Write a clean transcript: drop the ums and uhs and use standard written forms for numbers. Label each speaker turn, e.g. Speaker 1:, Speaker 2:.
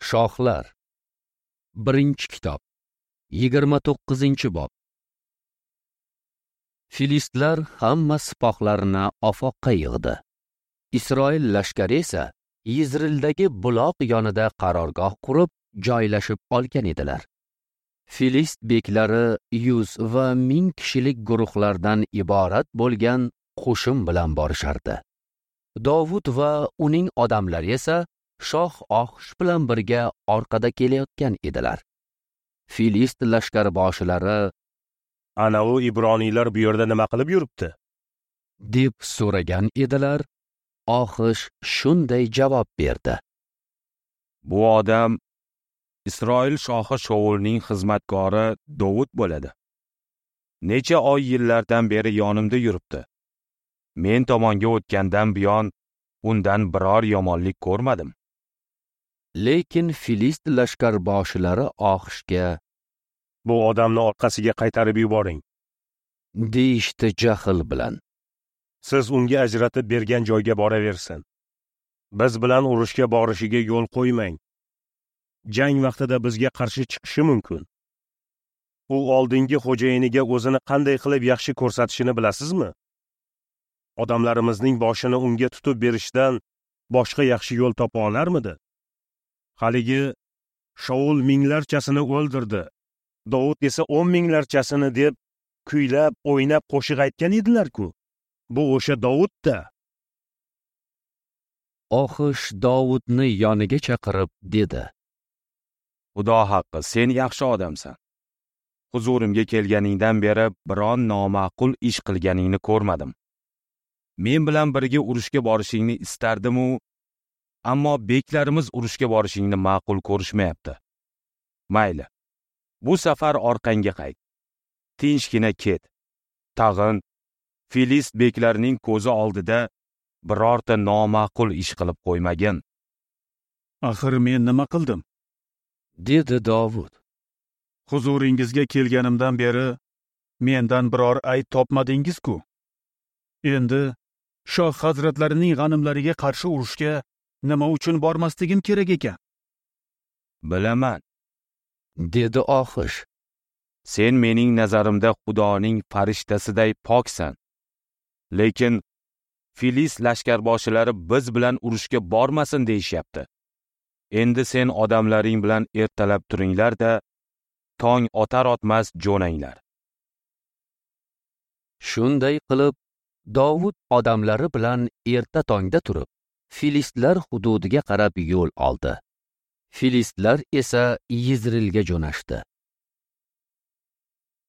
Speaker 1: Shohlar. 1-kitob, 29-bob. Filistlar hamma sipohlarini Ofoqqa yig'di. Isroil lashkari esa Yizrildagi buloq yonida qarorgoh qurib, joylashib olgan edilar. Filist beklari 100 va 1000 kishilik guruhlardan iborat bo'lgan qo'shin bilan borishardi. Dovud va uning odamlari esa shoh Oxish bilan birga orqada kelayotgan edilar. Filist lashkarboshilari
Speaker 2: "Ana u ibroniylar bu yerda nima qilib yuribdi?"
Speaker 1: deb so'ragan edilar. Oxish shunday javob berdi:
Speaker 3: "Bu odam Isroil shohi Shoulning xizmatkori Dovud bo'ladi. Necha oy yillardan beri yonimda yuribdi. Men tomonga o'tgandan buyon undan biror yomonlik ko'rmadim."
Speaker 1: Lekin Filist lashkarboshilari Oxishga
Speaker 2: "Bu odamni orqasiga qaytarib yuboring"
Speaker 1: deyishdi jahl bilan.
Speaker 2: "Siz unga ajratib bergan joyga boraversin. Biz bilan urushga borishiga yo'l qo'ymang. Jang vaqtida bizga qarshi chiqishi mumkin. U oldingi xo'jayiniga o'zini qanday qilib yaxshi ko'rsatishini bilasizmi? Odamlarimizning boshini unga tutib berishdan boshqa yaxshi yo'l topa olarmidi? Haligi Shaul minglarchasini o'ldirdi, Dovud esa 10 minglarchasini deb kuylab, o'ynab qo'shiq aytgan edilar-ku. Bu o'sha Dovud-da."
Speaker 1: Oxish Dovudni yoniga chaqirib dedi:
Speaker 3: "Xudo haqqi, sen yaxshi odamsan. Huzurimga kelganingdan beri biron noma'qul ish qilganingni ko'rmadim. Men bilan birga urushga borishingni istardim-u, ammo beklarimiz urushga borishingni ma'qul ko'rishmayapti. Mayli, bu safar orqangga qayt. Tinchgina ket. Tag'in Filist beklarining ko'zi oldida birorta noma'qul ish qilib qo'ymagin."
Speaker 4: "Axir men nima qildim?"
Speaker 1: dedi Dovud.
Speaker 4: "Huzuringizga kelganimdan beri mendan biror ayb topmadingiz-ku. Endi shoh hazratlarining g'animlariga qarshi urushga nima uchun bormasligim kerak ekan?"
Speaker 3: "Bilaman,"
Speaker 1: dedi Oxish.
Speaker 3: "Sen mening nazarimda Xudoning farishtasiday poksan. Lekin Filist lashkarboshilari biz bilan urushga bormasin deyishyapti. Endi sen odamlaring bilan ertalab turinglar-da, tong otar-otmas jo'nanglar."
Speaker 1: Shunday qilib, Dovud odamlari bilan erta tongda turib, Filistlar hududiga qarab yo'l oldi. Filistlar esa Yizrilga jo'nashdi.